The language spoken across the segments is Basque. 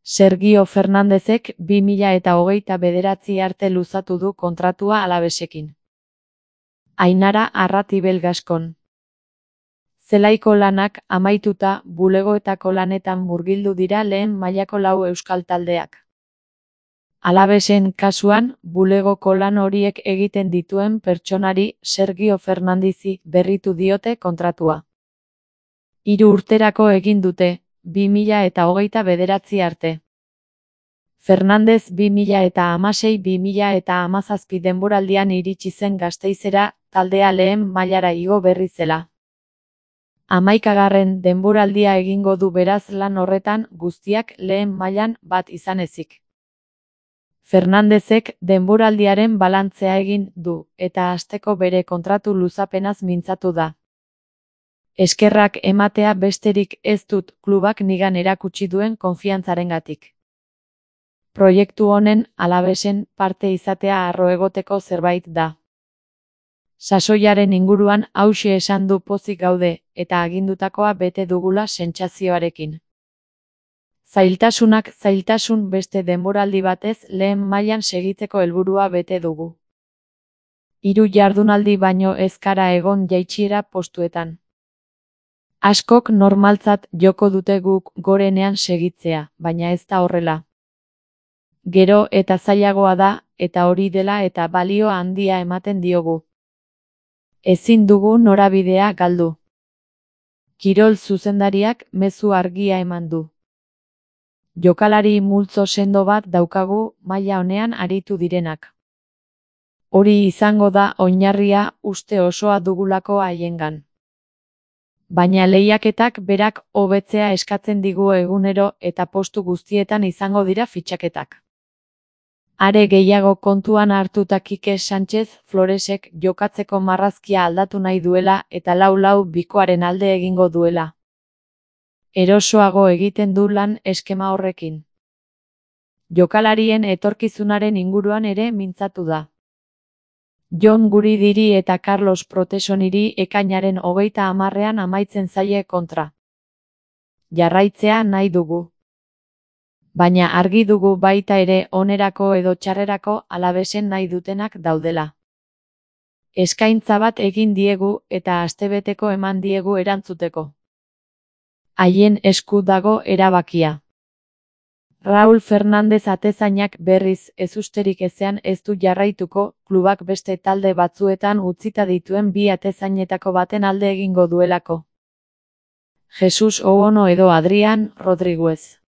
Sergio Fernandezek 2029 arte luzatu du kontratua Alavesekin. Ainara Arratibel Gaskon. Zelaiko lanak amaituta bulegoetako lanetan murgildu dira lehen mailako 4 euskal taldeak. Alavesen kasuan, bulegoko lan horiek egiten dituen pertsonari Sergio Fernandezi berritu diote kontratua. 3 urterako egin dute, 2029 arte. Fernandez 2016-2017 denboraldian iritsi zen Gasteizera, taldea lehen mailara igo berri zela. 11. denboraldia egingo du beraz lan horretan guztiak lehen mailan bat izan ezik. Fernandezek denboraldiaren balantzea egin du, eta hasteko bere kontratu luzapenaz mintzatu da. Eskerrak ematea besterik ez dut klubak nigan erakutsi duen konfiantzarengatik. Proiektu honen Alavesen parte izatea harro egoteko zerbait da. Sasoiaren inguruan hauxe esan du pozik gaude, eta agindutakoa bete dugula sentsazioarekin. Zailtasunak zailtasun beste denboraldi batez lehen mailan segitzeko helburua bete dugu. 3 jardunaldi baino ez gara egon jaitsiera postuetan. Askok normaltzat joko dute guk gorenean segitzea, baina ez da horrela. Gero eta zailagoa da, eta hori dela eta balio handia ematen diogu. Ezin dugu norabidea galdu. Kirol zuzendariak mezu argia eman du. Jokalari multzo sendo bat daukagu maila honean aritu direnak. Hori izango da oinarria uste osoa dugulako haiengan. Baina lehiaketak berak hobetzea eskatzen digu egunero eta postu guztietan izango dira fitxaketak. Are gehiago kontuan hartuta Kike Sánchez Floresek jokatzeko marrazkia aldatu nahi duela eta 4-4 bikoaren alde egingo duela. Erosoago egiten du lan eskema horrekin. Jokalarien etorkizunaren inguruan ere mintzatu da. Jon Guridiri eta Carlos Protesoniri ekainaren 30ean amaitzen zaie kontra. Jarraitzea nahi dugu. Baina argi dugu baita ere onerako edo txarrerako Alavesen nahi dutenak daudela. Eskaintza bat egin diegu eta astebeteko eman diegu erantzuteko. Haien esku dago erabakia. Raúl Fernández atezainak berriz ezusterik ezean ez du jarraituko, klubak beste talde batzuetan utzita dituen 2 atezainetako baten alde egingo duelako. Jesus Ouono edo Adrián Rodríguez.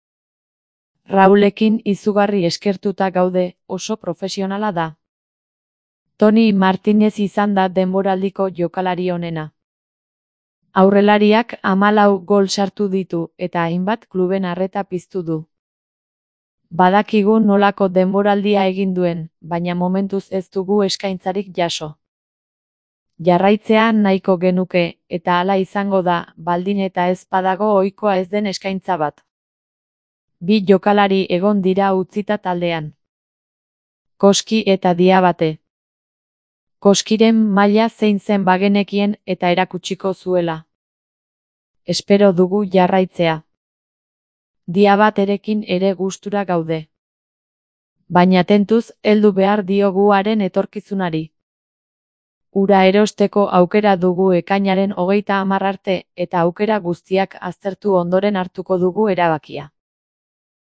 Raúlekin izugarri eskertuta gaude, oso profesionala da. Toni Martínez izan da denboraldiko jokalari onena. Aurrelariak 14 gol sartu ditu eta hainbat kluben arreta piztu du. Badakigu nolako denboraldia egin duen, baina momentuz ez dugu eskaintzarik jaso. Jarraitzea nahiko genuke, eta hala izango da, baldin eta ez badago ohikoa ez den eskaintza bat. 2 jokalari egon dira utzita taldean. Koski eta Diabate. Koskiren maila zein zen bagenekien eta erakutsiko zuela. Espero dugu jarraitzea. Diabaterekin ere gustura gaude. Baina tentuz heldu behar diogu haren etorkizunari. Ura erosteko aukera dugu ekainaren 30 arte eta aukera guztiak aztertu ondoren hartuko dugu erabakia.